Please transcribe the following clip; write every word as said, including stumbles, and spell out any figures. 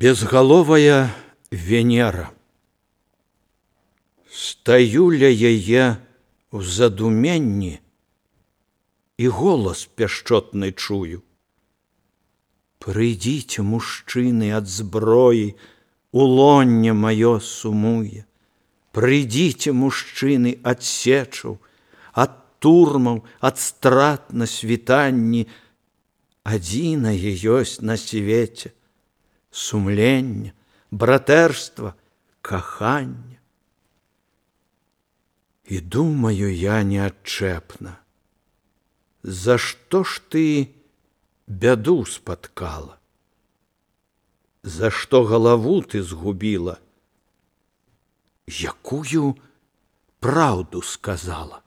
Безгаловая Венера. Стаю ля яе ў задуменні і голас пяшчотны чую. Прыйдзіце, мужчыны, ад зброі, улонне маё сумуе. Прыйдзіце, мужчыны, ад сечаў, ад турмаў, ад страт на світанні. Адзінае ёсць на свеце сумленне, братэрства, каханне. І думаю я неадчэпна, за што ж ты бяду спаткала? За што галаву ты згубіла? Якую праўду сказала?